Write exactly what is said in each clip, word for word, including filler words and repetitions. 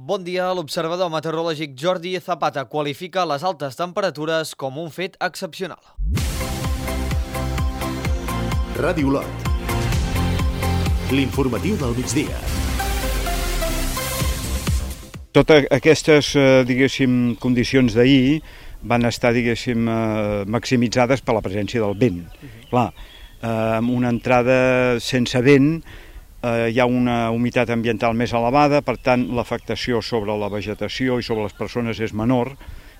Bon dia. L'observador meteorològic Jordi Zapata qualifica les altes temperatures com un fet excepcional. Ràdio Olot. L'informatiu del migdia. Totes aquestes, diguéssim, condicions d'ahir van estar, diguéssim, maximitzades per la presència del vent. Uh-huh. Clar, amb una entrada sense vent, hi ha una humitat ambiental més elevada, per tant, l'afectació sobre la vegetació i sobre les persones és menor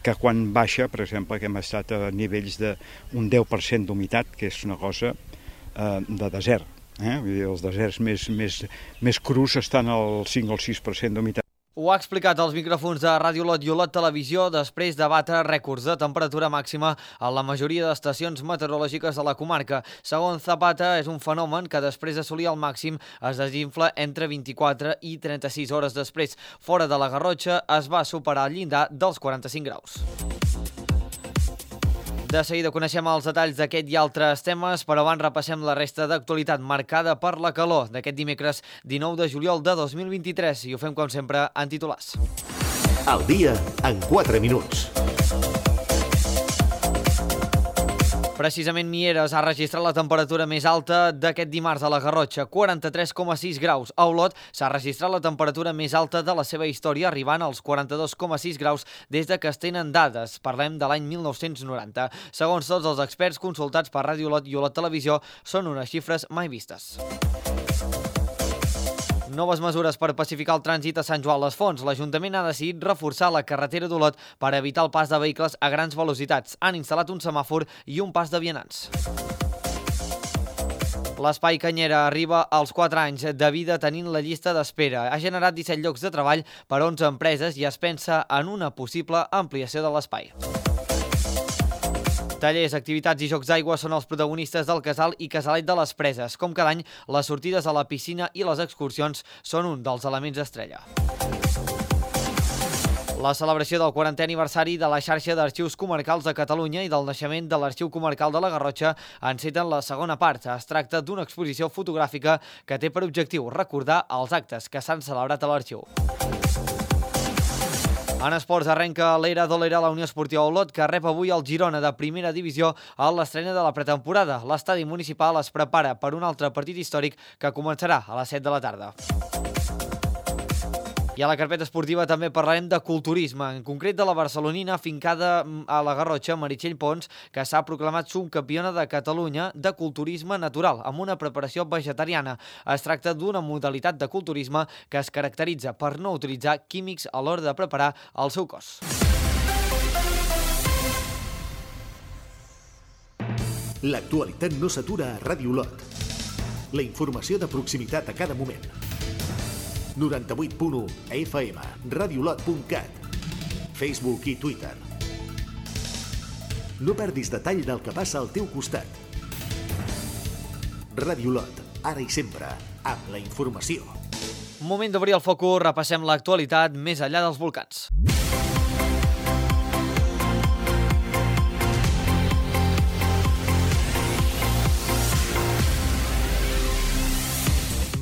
que quan baixa, per exemple, que hem estat a nivells d'un deu per cent d'humitat, que és una cosa eh, de desert. Eh? Vull dir, els deserts més, més, més crus estan al cinc o el sis per cent d'humitat. Ho ha explicat als micròfons de Ràdio Olot i Olot Televisió després de batre rècords de temperatura màxima a la majoria d'estacions meteorològiques de la comarca. Segons Zapata, és un fenomen que després d'assolir el màxim es desinfla entre vint-i-quatre i trenta-sis hores després. Fora de la Garrotxa es va superar el llindar dels quaranta-cinc graus. De seguida coneixem els detalls d'aquest i altres temes, però abans repassem la resta d'actualitat marcada per la calor d'aquest dimecres dinou de juliol de dos mil vint-i-tres i ho fem com sempre en titulars. El dia en quatre minuts. Precisament Mieres ha registrat la temperatura més alta d'aquest dimarts a la Garrotxa, quaranta-tres coma sis graus. A Olot s'ha registrat la temperatura més alta de la seva història, arribant als quaranta-dos coma sis graus des de que es tenen dades. Parlem de l'any mil nou-cents noranta. Segons tots els experts consultats per Ràdio Olot i Olot Televisió, són unes xifres mai vistes. Noves mesures per pacificar el trànsit a Sant Joan les Fonts. L'Ajuntament ha decidit reforçar la carretera d'Olot per evitar el pas de vehicles a grans velocitats. Han instal·lat un semàfor i un pas de vianants. L'Espai Canyera arriba als quatre anys de vida tenint la llista d'espera. Ha generat disset llocs de treball per a onze empreses i es pensa en una possible ampliació de l'espai. Tallers, activitats i jocs d'aigua són els protagonistes del Casal i Casalet de les Preses. Com cada any, les sortides a la piscina i les excursions són un dels elements estrella. La celebració del quarantè aniversari de la xarxa d'arxius comarcals de Catalunya i del naixement de l'Arxiu Comarcal de la Garrotxa enceten la segona part. Es tracta d'una exposició fotogràfica que té per objectiu recordar els actes que s'han celebrat a l'arxiu. En esports arrenca l'era d'Olera a la Unió Esportiva Olot, que rep avui el Girona de primera divisió a l'estrena de la pretemporada. L'estadi municipal es prepara per un altre partit històric que començarà a les set de la tarda. I a la carpeta esportiva també parlarem de culturisme, en concret de la barcelonina fincada a la Garrotxa, Meritxell Pons, que s'ha proclamat subcampiona de Catalunya de culturisme natural, amb una preparació vegetariana. Es tracta d'una modalitat de culturisme que es caracteritza per no utilitzar químics a l'hora de preparar el seu cos. L'actualitat no s'atura a Ràdio Olot. La informació de proximitat a cada moment. noranta-vuit punt u a F M, radiolot punt cat, Facebook i Twitter. No perdis detall del que passa al teu costat. Ràdio Olot, ara i sempre, amb la informació. Moment d'obrir el focus, repassem l'actualitat més enllà dels volcans.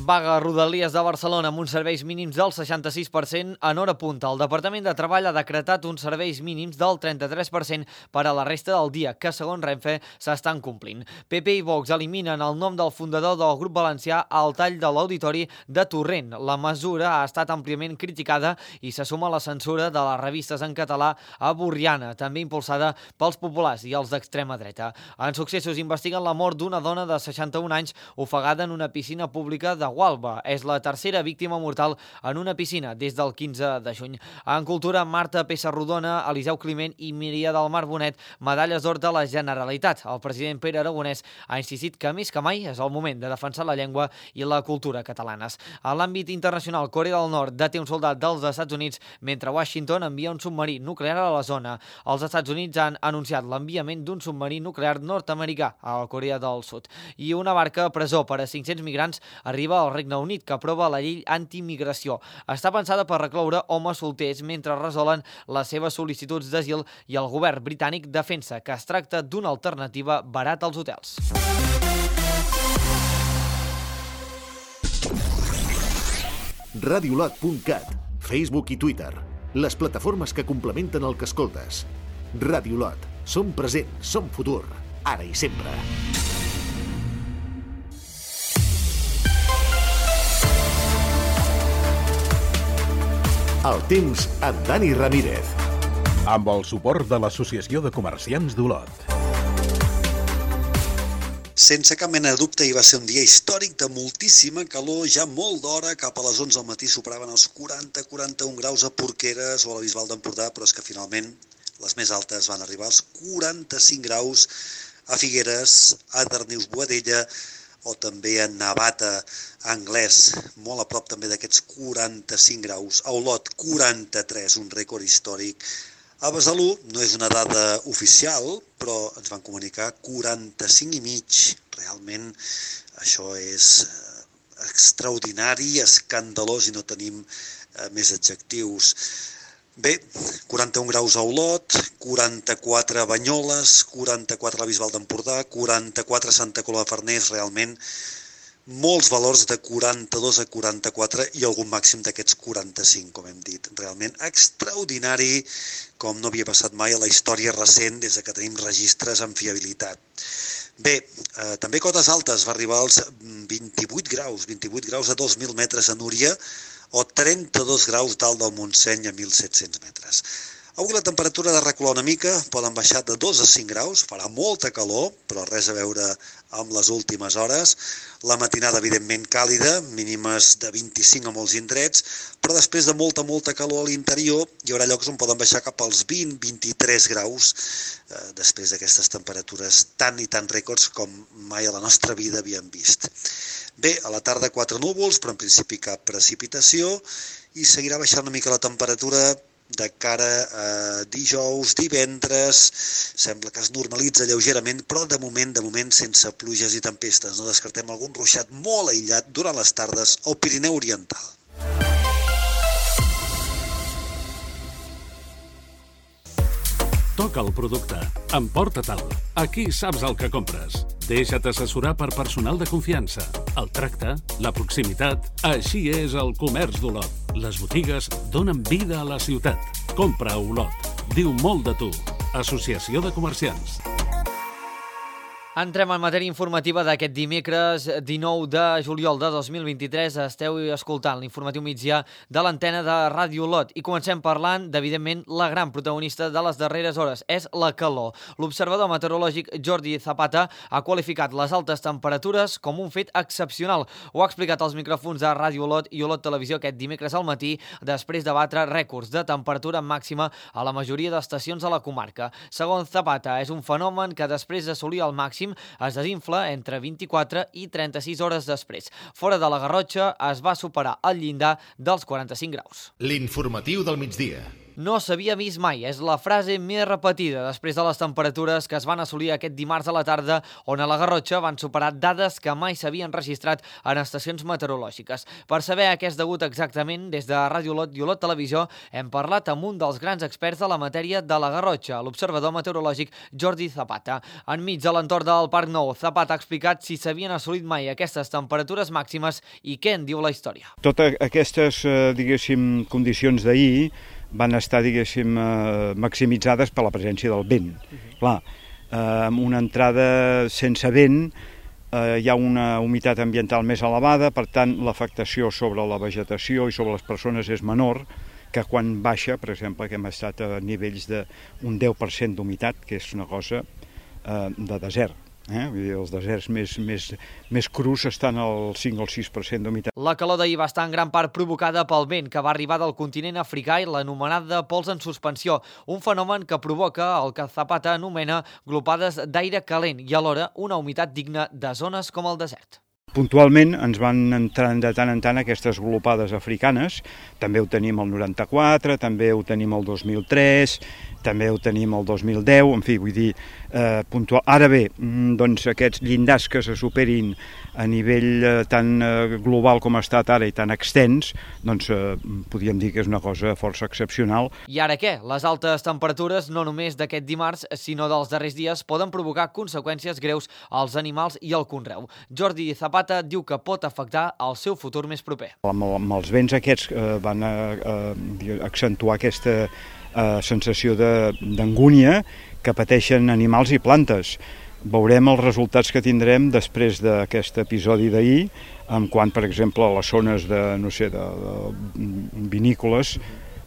Vaga a Rodalies de Barcelona amb uns serveis mínims del seixanta-sis per cent en hora punta. El Departament de Treball ha decretat uns serveis mínims del trenta-tres per cent per a la resta del dia, que segons Renfe s'estan complint. P P i Vox eliminen el nom del fundador del grup valencià al tall de l'Auditori de Torrent. La mesura ha estat àmpliament criticada i se suma a la censura de les revistes en català a Borriana, també impulsada pels populars i els d'extrema dreta. En Successos investiguen la mort d'una dona de seixanta-un anys ofegada en una piscina pública de Gualba. És la tercera víctima mortal en una piscina des del quinze de juny. En cultura, Marta Pessarrodona, Eliseu Climent i Miria del Mar Bonet, medalles d'or de la Generalitat. El president Pere Aragonès ha insistit que més que mai és el moment de defensar la llengua i la cultura catalanes. A l'àmbit internacional, Corea del Nord deté un soldat dels Estats Units mentre Washington envia un submarí nuclear a la zona. Els Estats Units han anunciat l'enviament d'un submarí nuclear nord-americà a la Corea del Sud. I una barca a presó per a cinc-cents migrants arriba al Regne Unit, que aprova la llei antimigració. Està pensada per recloure homes solters mentre resolen les seves sol·licituds d'asil i el govern britànic defensa que es tracta d'una alternativa barata als hotels. radiolot punt cat. Facebook i Twitter, les plataformes que complementen el que escoltes. Ràdio Lot, som present, som futur, ara i sempre. El temps amb Dani Ramírez. Amb el suport de l'Associació de Comerciants d'Olot. Sense cap mena de dubte, hi va ser un dia històric de moltíssima calor, ja molt d'hora, cap a les onze del matí superaven els quaranta a quaranta-un graus a Porqueres o a la Bisbal d'Empordà, però és que finalment les més altes van arribar als quaranta-cinc graus a Figueres, a Darnius Boadella o també a Navata, Anglès, molt a prop també d'aquests quaranta-cinc graus. A Olot, quaranta-tres, un rècord històric. A Besalú no és una dada oficial, però ens van comunicar quaranta-cinc i mig. Realment això és extraordinari, escandalós i no tenim més adjectius. Bé, quaranta-un graus a Olot, quaranta-quatre a Banyoles, quaranta-quatre a la Bisbal d'Empordà, quaranta-quatre a Santa Coloma de Farners, realment molts valors de quaranta-dos a quaranta-quatre i algun màxim d'aquests quaranta-cinc, com hem dit. Realment extraordinari, com no havia passat mai a la història recent des que tenim registres amb fiabilitat. Bé, eh, també cotes altes, va arribar als vint-i-vuit graus, vint-i-vuit graus a dos mil metres a Núria o trenta-dos graus dalt del Montseny a mil set-cents metres. Avui la temperatura ha de recular una mica, poden baixar de dos a cinc graus, farà molta calor, però res a veure amb les últimes hores. La matinada, evidentment, càlida, mínimes de vint-i-cinc a molts indrets, però després de molta, molta calor a l'interior hi haurà llocs on poden baixar cap als vint a vint-i-tres graus, eh, després d'aquestes temperatures tan i tan rècords com mai a la nostra vida havíem vist. Bé, a la tarda quatre núvols, però en principi cap precipitació, i seguirà baixant una mica la temperatura de cara a dijous, divendres, sembla que es normalitza lleugerament, però de moment, de moment sense pluges i tempestes. No descartem algun ruixat molt aïllat durant les tardes al Pirineu Oriental. Toca el producte, emporta-te'l. Aquí saps el que compres. Deixa't assessorar per personal de confiança. El tracte, la proximitat, així és el comerç d'Olot. Les botigues donen vida a la ciutat. Compra a Olot. Diu molt de tu. Associació de Comerciants. Entrem en matèria informativa d'aquest dimecres dinou de juliol de dos mil vint-i-tres. Esteu escoltant l'informatiu migdia de l'antena de Ràdio Olot i comencem parlant d'evidentment la gran protagonista de les darreres hores, és la calor. L'observador meteorològic Jordi Zapata ha qualificat les altes temperatures com un fet excepcional. Ho ha explicat als micròfons de Ràdio Olot i Olot Televisió aquest dimecres al matí després de batre rècords de temperatura màxima a la majoria d'estacions a la comarca. Segons Zapata, és un fenomen que després d'assolir el màxim es desinfla entre vint-i-quatre i trenta-sis hores després. Fora de la Garrotxa es va superar el llindar dels quaranta-cinc graus. L'informatiu del migdia. No s'havia vist mai, és la frase més repetida després de les temperatures que es van assolir aquest dimarts a la tarda, on a la Garrotxa van superar dades que mai s'havien registrat en estacions meteorològiques. Per saber a què és degut exactament, des de Ràdio Olot i Olot Televisió hem parlat amb un dels grans experts de la matèria de la Garrotxa, l'observador meteorològic Jordi Zapata. Enmig de l'entorn del Parc Nou, Zapata ha explicat si s'havien assolit mai aquestes temperatures màximes i què en diu la història. Totes aquestes, diguéssim, condicions d'ahir van estar, diguéssim, maximitzades per la presència del vent. Uh-huh. Clar, amb una entrada sense vent hi ha una humitat ambiental més elevada, per tant, l'afectació sobre la vegetació i sobre les persones és menor que quan baixa, per exemple, que hem estat a nivells d'un deu per cent d'humitat, que és una cosa de desert. Eh? Vull dir, els deserts més, més, més crus estan al cinc o sis per cent d'humitat. La calor d'ahir va estar en gran part provocada pel vent que va arribar del continent africà i l'anomenat de pols en suspensió, un fenomen que provoca el que Zapata anomena glopades d'aire calent i alhora una humitat digna de zones com el desert. Puntualment ens van entrant de tant en tant aquestes glopades africanes, també ho tenim el noranta-quatre, també ho tenim el dos mil tres, també ho tenim el dos mil deu, en fi, vull dir, eh, puntual. Ara bé, doncs aquests llindars que se superin a nivell eh, tan eh, global com ha estat ara i tan extens, doncs eh, podríem dir que és una cosa força excepcional. I ara què? Les altes temperatures, no només d'aquest dimarts, sinó dels darrers dies, poden provocar conseqüències greus als animals i al conreu. Jordi Zapata diu que pot afectar el seu futur més proper. Amb, amb els vents aquests eh, van a, a accentuar aquesta eh, sensació d'angúnia que pateixen animals i plantes. Veurem els resultats que tindrem després d'aquest episodi d'ahir, en quant, per exemple, a les zones de, no sé, de, de vinícoles,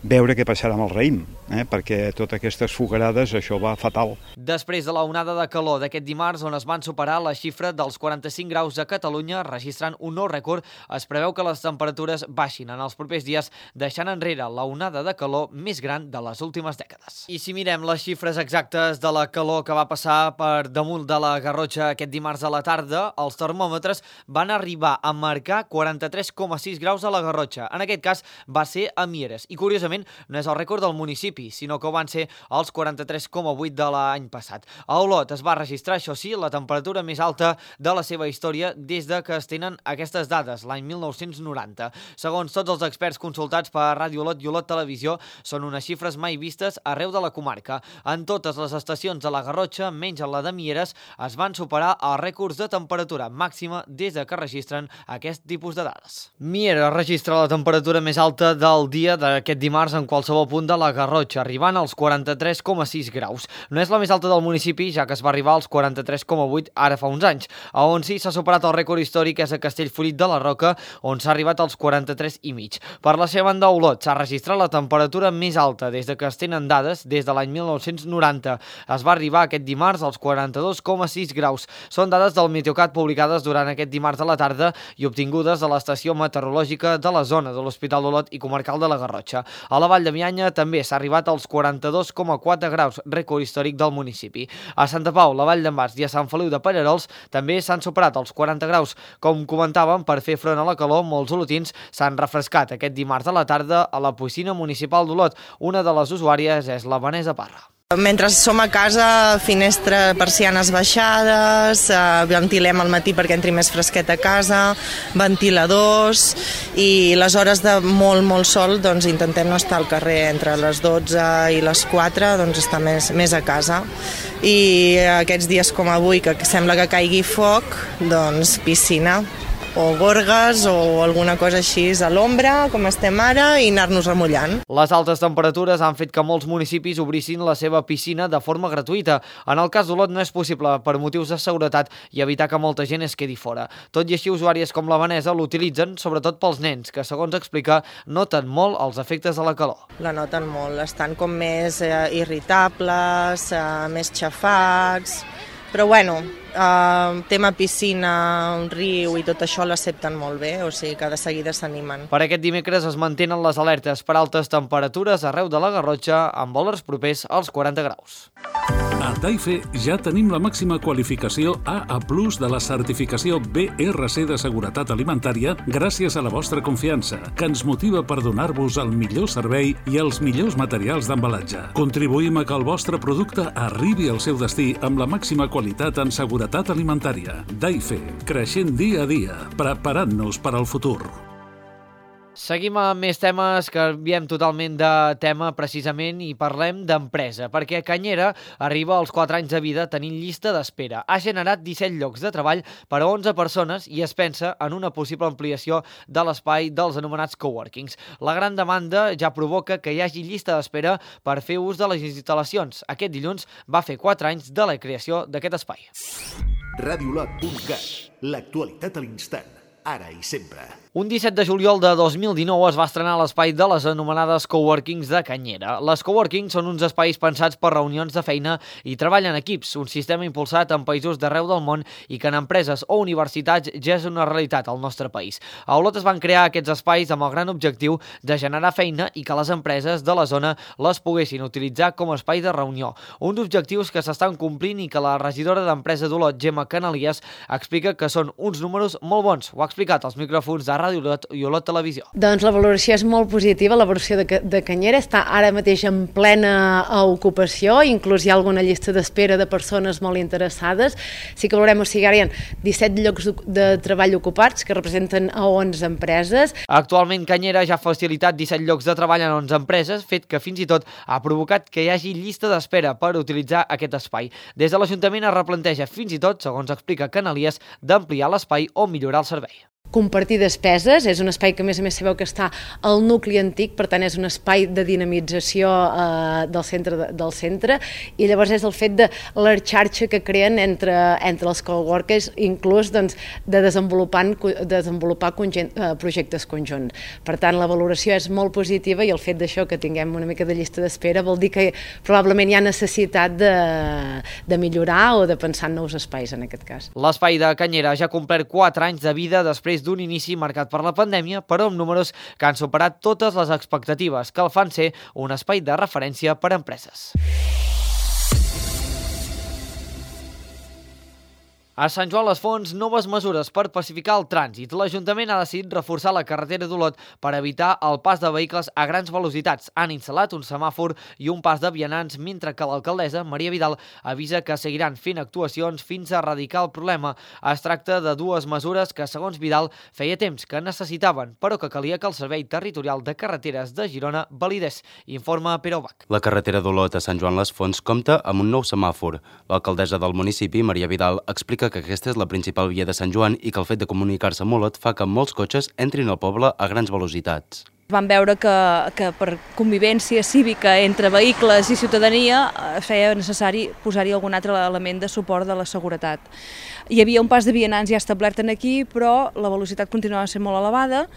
veure què passarà amb el raïm, eh? perquè totes aquestes fogarades, això va fatal. Després de la onada de calor d'aquest dimarts, on es van superar la xifra dels quaranta-cinc graus a Catalunya, registrant un nou rècord, es preveu que les temperatures baixin en els propers dies, deixant enrere la onada de calor més gran de les últimes dècades. I si mirem les xifres exactes de la calor que va passar per damunt de la Garrotxa aquest dimarts a la tarda, els termòmetres van arribar a marcar quaranta-tres coma sis graus a la Garrotxa. En aquest cas va ser a Mieres. I curiosament, no és el rècord del municipi, sinó que ho van ser els quaranta-tres coma vuit de l'any passat. A Olot es va registrar, això sí, la temperatura més alta de la seva història des de que es tenen aquestes dades, l'any mil nou-cents noranta. Segons tots els experts consultats per Ràdio Olot i Olot Televisió, són unes xifres mai vistes arreu de la comarca. En totes les estacions de la Garrotxa, menys en la de Mieres, es van superar els rècords de temperatura màxima des de que registren aquest tipus de dades. Mieres registra la temperatura més alta del dia d'aquest dimarts en qualsevol punt de la Garrotxa, arribant als quaranta-tres coma sis graus. No és la més alta del municipi, ja que es va arribar als quaranta-tres coma vuit ara fa uns anys. A on sí s'ha superat el rècord històric és a Castellfollit de la Roca, on s'ha arribat als quaranta-tres i mig. Per la seva banda, a Olot s'ha registrat la temperatura més alta des de que es tenen dades, des de l'any mil nou-cents noranta. Es va arribar aquest dimarts als quaranta-dos coma sis graus. Són dades del Meteocat publicades durant aquest dimarts a la tarda i obtingudes a l'estació meteorològica de la zona de l'Hospital d'Olot i Comarcal de la Garrotxa. A la Vall de Bianya també s'ha arribat als quaranta-dos coma quatre graus, rècord històric del municipi. A Santa Pau, la Vall d'en Bas i a Sant Feliu de Pallerols també s'han superat els quaranta graus. Com comentàvem, per fer front a la calor, molts olotins s'han refrescat aquest dimarts a la tarda a la piscina municipal d'Olot. Una de les usuàries és la Vanessa Parra. Mentre som a casa, finestra, persianes baixades, eh, ventilem al matí perquè entri més fresquet a casa, ventiladors, i les hores de molt, molt sol doncs intentem no estar al carrer. Entre les dotze i les quatre doncs estar més, més a casa. I aquests dies com avui, que sembla que caigui foc, doncs piscina, o gorgues o alguna cosa així a l'ombra, com estem ara, i anar-nos remullant. Les altes temperatures han fet que molts municipis obrissin la seva piscina de forma gratuïta. En el cas d'Olot no és possible per motius de seguretat i evitar que molta gent es quedi fora. Tot i així, usuàries com la Vanessa l'utilitzen sobretot pels nens, que segons explica noten molt els efectes de la calor. La noten molt, estan com més eh, irritables, eh, més xafats, però bueno, Uh, tema piscina, un riu i tot això l'accepten molt bé, o sigui que de seguida s'animen. Per aquest dimecres es mantenen les alertes per altes temperatures arreu de la Garrotxa amb valors propers als quaranta graus. A Taife ja tenim la màxima qualificació A A plus de la certificació B R C de Seguretat Alimentària gràcies a la vostra confiança, que ens motiva per donar-vos el millor servei i els millors materials d'embalatge. Contribuïm a que el vostre producte arribi al seu destí amb la màxima qualitat en seguretat alimentària. Taife, creixent dia a dia, preparant-nos per al futur. Seguim amb més temes, que canviem totalment de tema precisament i parlem d'empresa, perquè Canyera arriba als quatre anys de vida tenint llista d'espera. Ha generat disset llocs de treball per a onze persones i es pensa en una possible ampliació de l'espai dels anomenats coworkings. La gran demanda ja provoca que hi hagi llista d'espera per fer ús de les instal·lacions. Aquest dilluns va fer quatre anys de la creació d'aquest espai. radiolot punt cat, l'actualitat a l'instant, ara i sempre. Un disset de juliol de dos mil dinou es va estrenar l'espai de les anomenades coworkings de Canyera. Les coworkings són uns espais pensats per reunions de feina i treball en equips, un sistema impulsat en països d'arreu del món i que en empreses o universitats ja és una realitat al nostre país. A Olot es van crear aquests espais amb el gran objectiu de generar feina i que les empreses de la zona les poguessin utilitzar com a espai de reunió. Uns objectius que s'estan complint i que la regidora d'Empresa d'Olot, Gemma Canalies, explica que són uns números molt bons. Ho ha explicat als micròfons de Ràdio Olot i Olot Televisió. Doncs la valoració és molt positiva, la valoració de, de Canyera està ara mateix en plena ocupació, inclús hi ha alguna llista d'espera de persones molt interessades. Sí que veurem, o sigui, ara hi ha disset llocs de treball ocupats que representen a onze empreses. Actualment Canyera ja ha facilitat disset llocs de treball en onze empreses, fet que fins i tot ha provocat que hi hagi llista d'espera per utilitzar aquest espai. Des de l'Ajuntament es replanteja fins i tot, segons explica Canalies, d'ampliar l'espai o millorar el servei. Compartir despeses, és un espai que a més a més sabeu que està al nucli antic, per tant és un espai de dinamització eh, del, centre, del centre, i llavors és el fet de la xarxa que creen entre, entre els coworkers, inclús doncs, de desenvolupar, desenvolupar conjunt, eh, projectes conjunts. Per tant, la valoració és molt positiva i el fet d'això que tinguem una mica de llista d'espera vol dir que probablement hi ha necessitat de, de millorar o de pensar en nous espais en aquest cas. L'espai de Canyera ja ha complert quatre anys de vida després d'un inici marcat per la pandèmia, però amb números que han superat totes les expectatives, que el fan ser un espai de referència per a empreses. A Sant Joan les Fonts, noves mesures per pacificar el trànsit. L'Ajuntament ha decidit reforçar la carretera d'Olot per evitar el pas de vehicles a grans velocitats. Han instal·lat un semàfor i un pas de vianants, mentre que l'alcaldessa, Maria Vidal, avisa que seguiran fent actuacions fins a erradicar el problema. Es tracta de dues mesures que, segons Vidal, feia temps que necessitaven, però que calia que el Servei Territorial de Carreteres de Girona validés. Informa Pere Ubach. La carretera d'Olot a Sant Joan les Fonts compta amb un nou semàfor. L'alcaldessa del municipi, Maria Vidal, explica que aquesta és la principal via de Sant Joan i que el fet de comunicar-se amb Olot fa que molts cotxes entrin al poble a grans velocitats. Vam veure que, que per convivència cívica entre vehicles i ciutadania feia necessari posar-hi algun altre element de suport de la seguretat. Hi havia un pas de vianants ja establert aquí, però la velocitat continuava sent molt elevada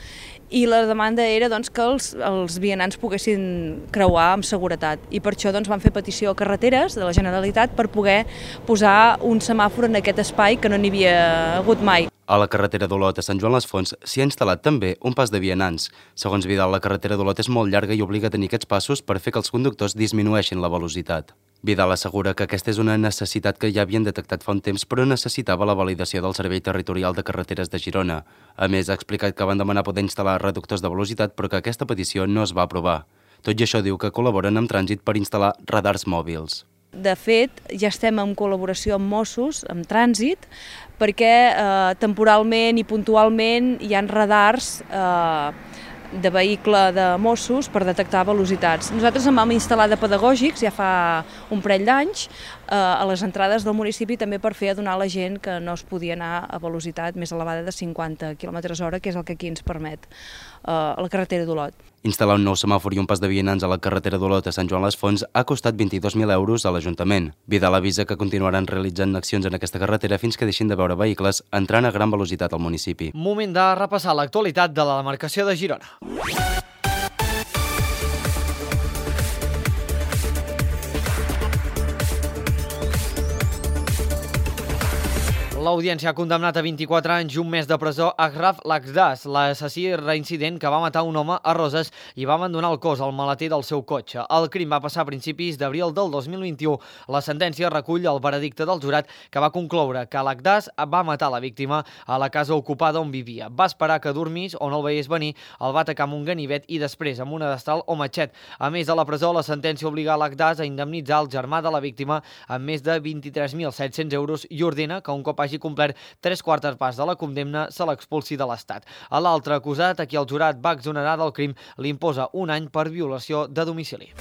i la demanda era doncs, que els, els vianants poguessin creuar amb seguretat. I per això doncs, van fer petició a Carreteres de la Generalitat per poder posar un semàfor en aquest espai que no n'hi havia hagut mai. A la carretera d'Olot a Sant Joan les Fonts s'hi ha instal·lat també un pas de vianants. Segons Vidal, la carretera d'Olot és molt llarga i obliga a tenir aquests passos per fer que els conductors disminueixin la velocitat. Vidal assegura que aquesta és una necessitat que ja havien detectat fa un temps, però necessitava la validació del Servei Territorial de Carreteres de Girona. A més, ha explicat que van demanar poder instal·lar reductors de velocitat, però que aquesta petició no es va aprovar. Tot i això, diu que col·laboren amb Trànsit per instal·lar radars mòbils. De fet, ja estem en col·laboració amb Mossos, amb Trànsit, perquè eh, temporalment i puntualment hi ha radars eh, de vehicle de Mossos per detectar velocitats. Nosaltres en vam instal·lar de pedagògics ja fa un parell d'anys eh, a les entrades del municipi també per fer adonar a la gent que no es podia anar a velocitat més elevada de cinquanta quilòmetres hora, que és el que aquí ens permet eh, la carretera d'Olot. Instal·lar un nou semàfor i un pas de vianants a la carretera d'Olot a Sant Joan les Fonts ha costat vint-i-dos mil euros a l'Ajuntament. Vidal avisa que continuaran realitzant accions en aquesta carretera fins que deixin de veure vehicles entrant a gran velocitat al municipi. Moment de repassar l'actualitat de la demarcació de Girona. L'Audiència ha condemnat a vint-i-quatre anys i un mes de presó Achraf Lakhdaz, l'assassí reincident que va matar un home a Roses i va abandonar el cos al maleter del seu cotxe. El crim va passar a principis d'abril del dos mil vint-i-u. La sentència recull el veredicte del jurat que va concloure que Lakhdaz va matar la víctima a la casa ocupada on vivia. Va esperar que dormís o no el veiés venir, el va atacar amb un ganivet i després amb una destral o matxet. A més de la presó, la sentència obliga Lakhdaz a indemnitzar el germà de la víctima amb més de vint-i-tres mil set-cents euros i ordena que un cop hagi complert tres quartes parts de la condemna se l'expulsi de l'Estat. A l'altre acusat, a qui el jurat va exonerar del crim, li imposa un any per violació de domicili.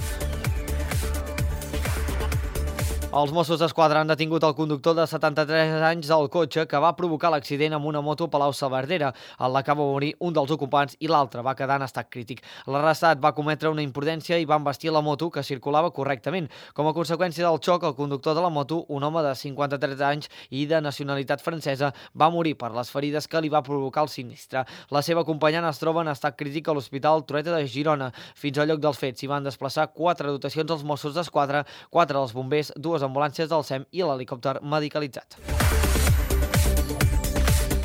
Els Mossos d'Esquadra han detingut el conductor de setanta-tres anys del cotxe que va provocar l'accident amb una moto a Palau-saverdera. En la que va morir un dels ocupants i l'altre va quedar en estat crític. L'arrestat va cometre una imprudència i va embestir la moto que circulava correctament. Com a conseqüència del xoc, el conductor de la moto, un home de cinquanta-tres anys i de nacionalitat francesa, va morir per les ferides que li va provocar el sinistre. La seva companyant es troba en estat crític a l'Hospital Trueta de Girona. Fins al lloc dels fets s'hi van desplaçar quatre dotacions dels Mossos d'Esquadra, quatre dels bombers, dues ambulàncies del S E M i l'helicòpter medicalitzat.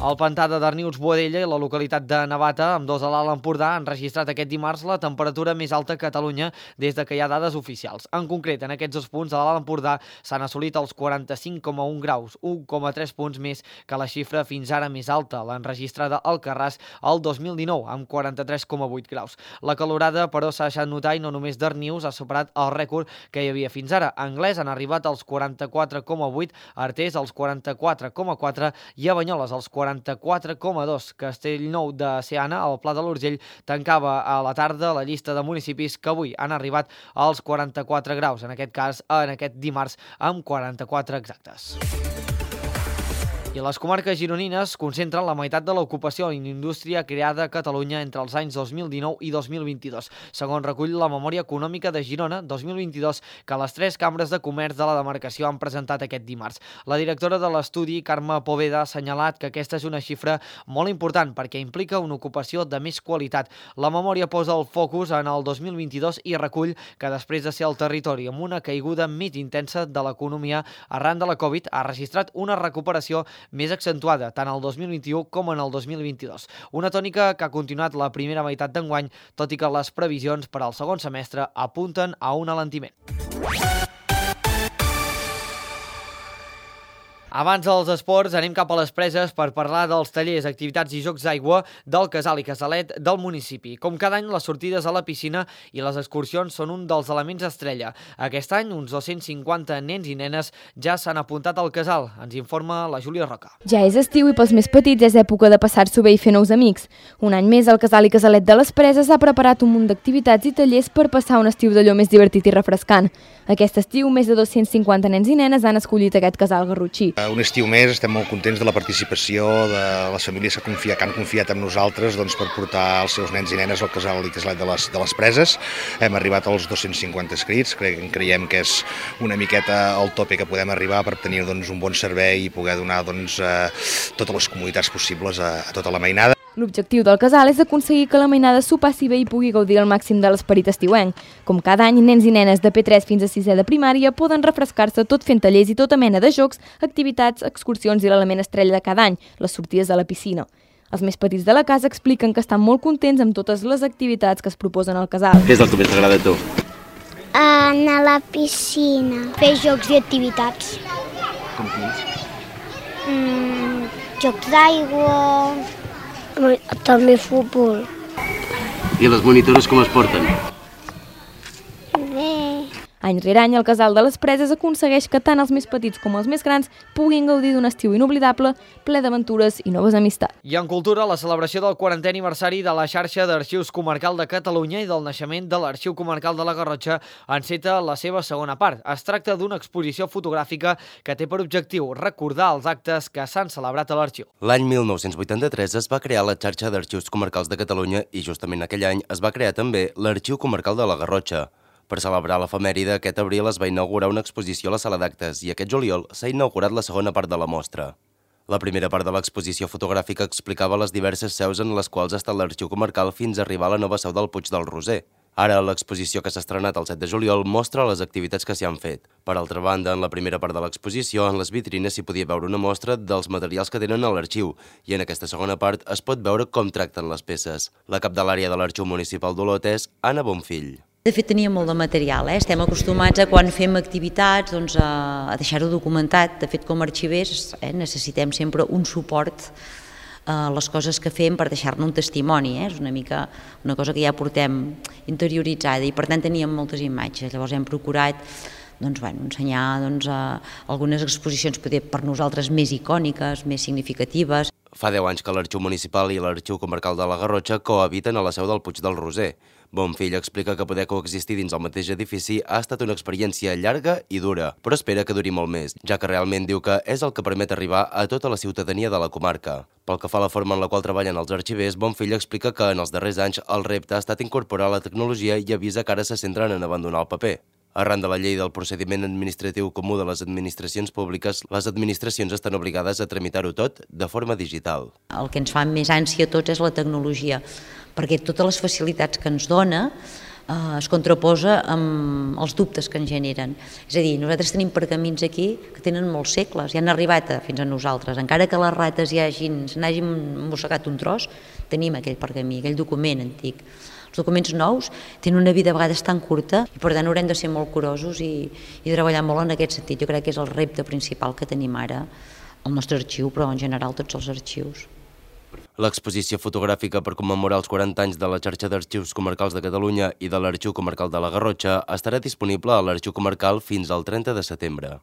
El pantà de Darnius-Boadella i la localitat de Navata, amb dos a l'Alt Empordà, han registrat aquest dimarts la temperatura més alta a Catalunya des de que hi ha dades oficials. En concret, en aquests dos punts de l'Alt Empordà s'han assolit els quaranta-cinc coma un graus, un coma tres punts més que la xifra fins ara més alta, l'enregistrada al Carràs el dos mil dinou, amb quaranta-tres coma vuit graus. La calorada, però, s'ha deixat notar i no només Darnius ha superat el rècord que hi havia fins ara. A Anglès han arribat als quaranta-quatre coma vuit, Artés als quaranta-quatre coma quatre i a Banyoles als quaranta-quatre coma dos. Castellnou de Seana, al Pla de l'Urgell, tancava a la tarda la llista de municipis que avui han arribat als quaranta-quatre graus, en aquest cas en aquest dimarts amb quaranta-quatre exactes. I les comarques gironines concentren la meitat de l'ocupació en indústria creada a Catalunya entre els anys dos mil dinou i dos mil vint-i-dos, segons recull la Memòria Econòmica de Girona dos mil vint-i-dos que les tres cambres de comerç de la demarcació han presentat aquest dimarts. La directora de l'estudi, Carme Poveda, ha assenyalat que aquesta és una xifra molt important perquè implica una ocupació de més qualitat. La memòria posa el focus en el dos mil vint-i-dos i recull que després de ser el territori amb una caiguda mig intensa de l'economia arran de la Covid ha registrat una recuperació més accentuada tant el dos mil vint-i-u com en el dos mil vint-i-dos. Una tònica que ha continuat la primera meitat d'enguany, tot i que les previsions per al segon semestre apunten a un alentiment. Abans dels esports, anem cap a les preses per parlar dels tallers, activitats i jocs d'aigua del Casal i Casalet del municipi. Com cada any, les sortides a la piscina i les excursions són un dels elements estrella. Aquest any, uns dos-cents cinquanta nens i nenes ja s'han apuntat al Casal. Ens informa la Júlia Roca. Ja és estiu i pels més petits és època de passar-s'ho bé i fer nous amics. Un any més, el Casal i Casalet de les Preses ha preparat un munt d'activitats i tallers per passar un estiu d'allò més divertit i refrescant. Aquest estiu, més de dos-cents cinquanta nens i nenes han escollit aquest Casal garrotxí. Un estiu més, estem molt contents de la participació de les famílies que, confia, que han confiat en nosaltres doncs, per portar els seus nens i nenes al Casal i Casalet de les, de les Preses. Hem arribat als dos-cents cinquanta inscrits, Cre creiem que és una miqueta el tope que podem arribar per tenir doncs, un bon servei i poder donar doncs, eh, totes les comoditats possibles a, a tota la mainada. L'objectiu del Casal és aconseguir que la mainada s'ho passi bé i pugui gaudir al màxim de l'esperit estiuenc. Com cada any, nens i nenes de P tres fins a sisè de primària poden refrescar-se tot fent tallers i tota mena de jocs, activitats, excursions i l'element estrella de cada any, les sortides a la piscina. Els més petits de la casa expliquen que estan molt contents amb totes les activitats que es proposen al Casal. Què és el que més t'agrada a tu? Anar a la piscina, fer jocs i activitats. Com quins? Mm, jocs d'aigua, també futbol. I les monitores com es porten? Bé. Any rere any, el Casal de les Preses aconsegueix que tant els més petits com els més grans puguin gaudir d'un estiu inoblidable, ple d'aventures i noves amistats. I en cultura, la celebració del quarantè aniversari de la xarxa d'Arxius Comarcal de Catalunya i del naixement de l'Arxiu Comarcal de la Garrotxa enceta la seva segona part. Es tracta d'una exposició fotogràfica que té per objectiu recordar els actes que s'han celebrat a l'arxiu. L'any mil nou-cents vuitanta-tres es va crear la xarxa d'Arxius Comarcals de Catalunya i justament aquell any es va crear també l'Arxiu Comarcal de la Garrotxa. Per celebrar l'efemèride, aquest abril es va inaugurar una exposició a la sala d'actes i aquest juliol s'ha inaugurat la segona part de la mostra. La primera part de l'exposició fotogràfica explicava les diverses seus en les quals ha estat l'Arxiu Comarcal fins a arribar a la nova seu del Puig del Roser. Ara, l'exposició que s'ha estrenat el set de juliol mostra les activitats que s'hi han fet. Per altra banda, en la primera part de l'exposició, en les vitrines s'hi podia veure una mostra dels materials que tenen a l'arxiu i en aquesta segona part es pot veure com tracten les peces. La cap de l'àrea de l'Arxiu Municipal d'Olot és Anna Bonfill. De fet, teníem molt de material, eh? Estem acostumats a quan fem activitats doncs, a, a deixar-ho documentat. De fet, com a arxivers eh, necessitem sempre un suport a les coses que fem per deixar-ne un testimoni. Eh? És una mica una cosa que ja portem interioritzada i per tant teníem moltes imatges. Llavors hem procurat doncs, bueno, ensenyar doncs, a algunes exposicions poder, per nosaltres més icòniques, més significatives. Fa deu anys que l'Arxiu Municipal i l'Arxiu Comarcal de la Garrotxa cohabiten a la seu del Puig del Roser. Bonfill explica que poder coexistir dins el mateix edifici ha estat una experiència llarga i dura, però espera que duri molt més, ja que realment diu que és el que permet arribar a tota la ciutadania de la comarca. Pel que fa a la forma en la qual treballen els arxivers, Bonfill explica que en els darrers anys el repte ha estat incorporar la tecnologia i avisa que ara se centren en abandonar el paper. Arran de la llei del procediment administratiu comú de les administracions públiques, les administracions estan obligades a tramitar-ho tot de forma digital. El que ens fa més ànsia a tots és la tecnologia, perquè totes les facilitats que ens dona eh, es contraposa amb els dubtes que ens generen. És a dir, nosaltres tenim pergamins aquí que tenen molts segles i han arribat a, fins a nosaltres. Encara que les rates ja hagin, n'hagin mossegat un tros, tenim aquell pergamí, aquell document antic. Els documents nous tenen una vida a vegades tan curta i per tant haurem de ser molt curosos i, i treballar molt en aquest sentit. Jo crec que és el repte principal que tenim ara al nostre arxiu, però en general tots els arxius. L'exposició fotogràfica per commemorar els quaranta anys de la xarxa d'arxius comarcals de Catalunya i de l'Arxiu Comarcal de la Garrotxa estarà disponible a l'Arxiu Comarcal fins al trenta de setembre.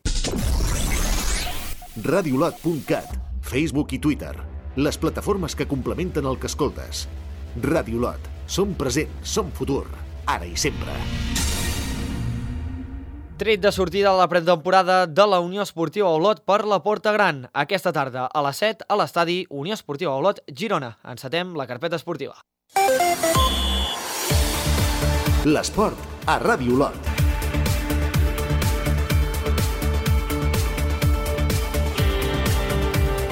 radiolot punt cat, Facebook i Twitter, les plataformes que complementen el que escoltes. Radiolot, som present, som futur, ara i sempre. Tret de sortida a la pretemporada de la Unió Esportiva Olot per la Porta Gran. Aquesta tarda, a les set, a l'estadi Unió Esportiva Olot, Girona. Encetem la carpeta esportiva. L'esport a Ràdio Olot.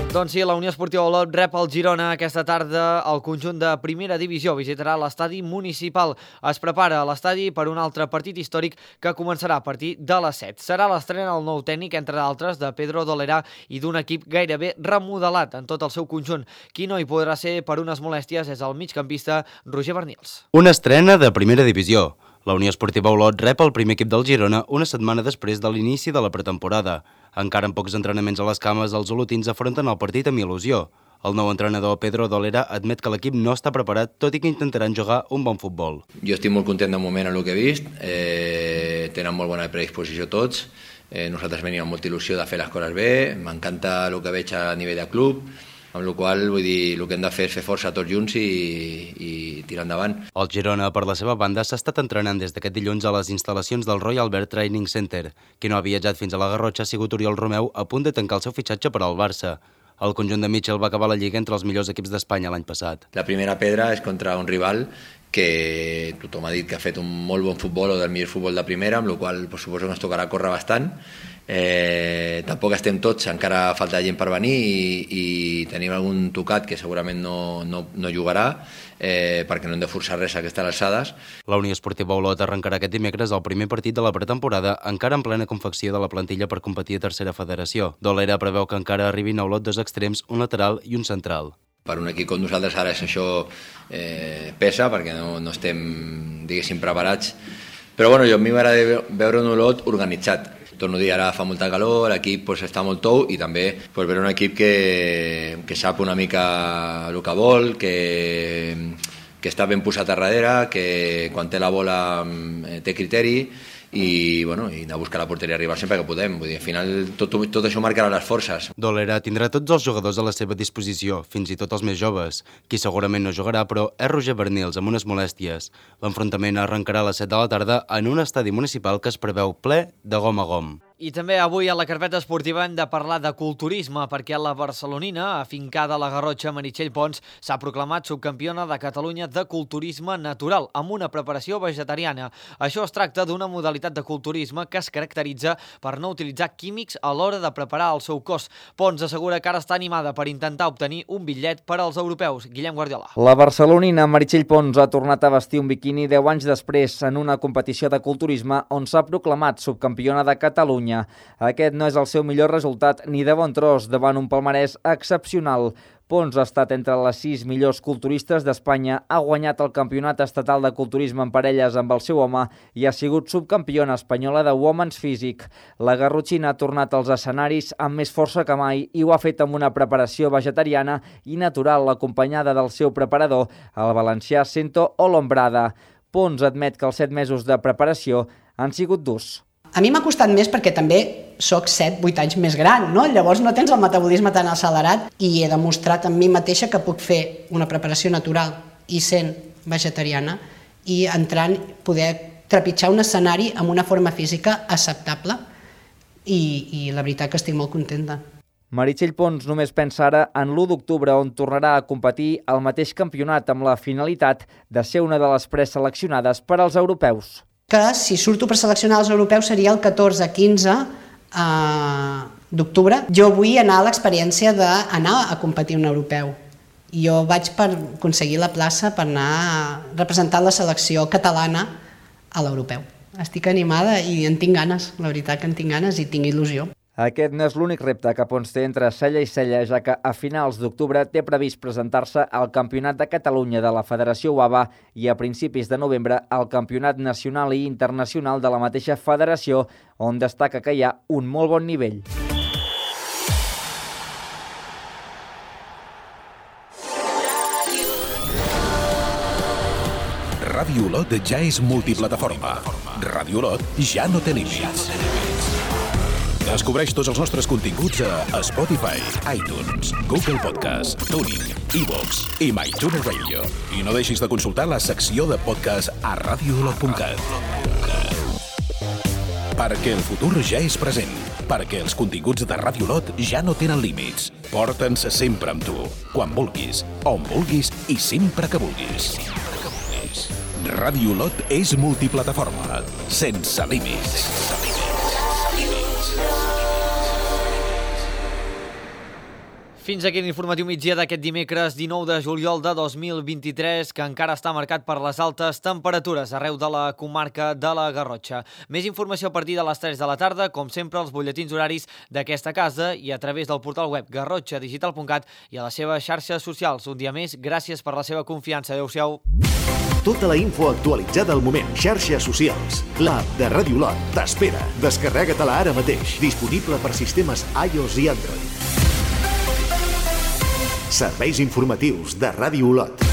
Doncs sí, la Unió Esportiva Olot rep el Girona aquesta tarda. El conjunt de primera divisió visitarà l'estadi municipal. Es prepara a l'estadi per un altre partit històric que començarà a partir de les set. Serà l'estrena del nou tècnic, entre d'altres, de Pedro Dolera i d'un equip gairebé remodelat en tot el seu conjunt. Qui no hi podrà ser per unes molèsties és el migcampista Roger Bernils. Una estrena de primera divisió. La Unió Esportiva Olot rep el primer equip del Girona una setmana després de l'inici de la pretemporada. Encara amb pocs entrenaments a les cames, els olotins afronten el partit amb il·lusió. El nou entrenador Pedro Dolera admet que l'equip no està preparat, tot i que intentaran jugar un bon futbol. Jo estic molt content de moment en el que he vist, eh, tenen molt bona predisposició tots, eh, nosaltres venim amb molta il·lusió de fer les coses bé, m'encanta el que veig a nivell de club, amb la qual vull dir, el que hem de fer és fer força tots junts i, i tirar endavant. El Girona, per la seva banda, s'ha estat entrenant des d'aquest dilluns a les instal·lacions del Royal Albert Training Center. Qui no ha viatjat fins a la Garrotxa ha sigut Oriol Romeu, a punt de tancar el seu fitxatge per al Barça. El conjunt de Mitchell va acabar la Lliga entre els millors equips d'Espanya l'any passat. La primera pedra és contra un rival que tothom ha dit que ha fet un molt bon futbol o del millor futbol de primera, amb la qual cosa pues, suposo que ens tocarà córrer bastant. Eh, tampoc estem tots, encara falta gent per venir i, i tenim algun tocat que segurament no, no, no jugarà eh, perquè no hem de forçar res a aquestes alçades. La Unió Esportiva Olot arrencarà aquest dimecres el primer partit de la pretemporada encara en plena confecció de la plantilla per competir a tercera federació. Dolera preveu que encara arribin a Olot dos extrems, un lateral i un central. Per un equip com nosaltres ara això eh, pesa perquè no, no estem, diguéssim, preparats. Però bueno, jo a mi m'agrada veure un Olot organitzat. Torno a dir, ara fa molta calor, l'equip pues, està molt tou i també pues, veure un equip que, que sap una mica el que vol, que, que està ben posat a darrere, que quan té la bola eh, té criteri i, bueno, i anar a buscar la porteria, arribar sempre que podem. Vull dir, al final tot, tot això marcarà les forces. Dolera tindrà tots els jugadors a la seva disposició, fins i tot els més joves. Qui segurament no jugarà, però, és Roger Bernils, amb unes molèsties. L'enfrontament arrencarà a les set de la tarda en un estadi municipal que es preveu ple de gom a gom. I també avui a la carpeta esportiva hem de parlar de culturisme perquè la barcelonina, afincada a la Garrotxa, Meritxell Pons, s'ha proclamat subcampiona de Catalunya de culturisme natural, amb una preparació vegetariana. Això es tracta d'una modalitat de culturisme que es caracteritza per no utilitzar químics a l'hora de preparar el seu cos. Pons assegura que ara està animada per intentar obtenir un bitllet per als europeus. Guillem Guardiola. La barcelonina Meritxell Pons ha tornat a vestir un biquini deu anys després en una competició de culturisme on s'ha proclamat subcampiona de Catalunya. Aquest no és el seu millor resultat ni de bon tros davant un palmarès excepcional. Pons ha estat entre les sis millors culturistes d'Espanya, ha guanyat el campionat estatal de culturisme en parelles amb el seu home i ha sigut subcampiona espanyola de Women's Physique. La garrotxina ha tornat als escenaris amb més força que mai i ho ha fet amb una preparació vegetariana i natural acompanyada del seu preparador, el valencià Cento Olombrada. Pons admet que els set mesos de preparació han sigut durs. A mi m'ha costat més perquè també soc set vuit anys més gran, no? Llavors no tens el metabolisme tan accelerat i he demostrat amb mi mateixa que puc fer una preparació natural i sent vegetariana i entrant, poder trepitjar un escenari amb una forma física acceptable i, i la veritat que estic molt contenta. Meritxell Pons només pensa ara en l'u d'octubre on tornarà a competir al mateix campionat amb la finalitat de ser una de les preseleccionades per als europeus. Que si surto per seleccionar els europeus seria el catorze quinze d'octubre. Jo vull anar a l'experiència d'anar a competir un europeu. Jo vaig per aconseguir la plaça per anar a representar la selecció catalana a l'europeu. Estic animada i en tinc ganes, la veritat que en tinc ganes i tinc il·lusió. Aquest no és l'únic repte que Pons té entre cella i cella, ja que a finals d'octubre té previst presentar-se al Campionat de Catalunya de la Federació U A B A i a principis de novembre al Campionat Nacional i Internacional de la mateixa federació, on destaca que hi ha un molt bon nivell. Ràdio Olot ja és multiplataforma. Ràdio Olot ja no té límits. Descobreix tots els nostres continguts a Spotify, iTunes, Google Podcast, TuneIn, iVoox i MyTuner Radio. I no deixis de consultar la secció de podcast a radio olot punt cat. Perquè el futur ja és present. Perquè els continguts de Ràdio Olot ja no tenen límits. Porta'ns sempre amb tu, quan vulguis, on vulguis i sempre que vulguis. Ràdio Olot és multiplataforma, sense límits. Fins aquí l'informatiu migdia d'aquest dimecres dinou de juliol de dos mil vint-i-tres, que encara està marcat per les altes temperatures arreu de la comarca de la Garrotxa. Més informació a partir de les tres de la tarda, com sempre, als butlletins horaris d'aquesta casa i a través del portal web garrotxa digital punt cat i a les seves xarxes socials. Un dia més, gràcies per la seva confiança. Adéu-siau. Tota la info actualitzada al moment. Xarxes socials. L'app de Ràdio Olot t'espera. Descarrega-te-la ara mateix. Disponible per sistemes iOS i Android. Serveis informatius de Ràdio Olot.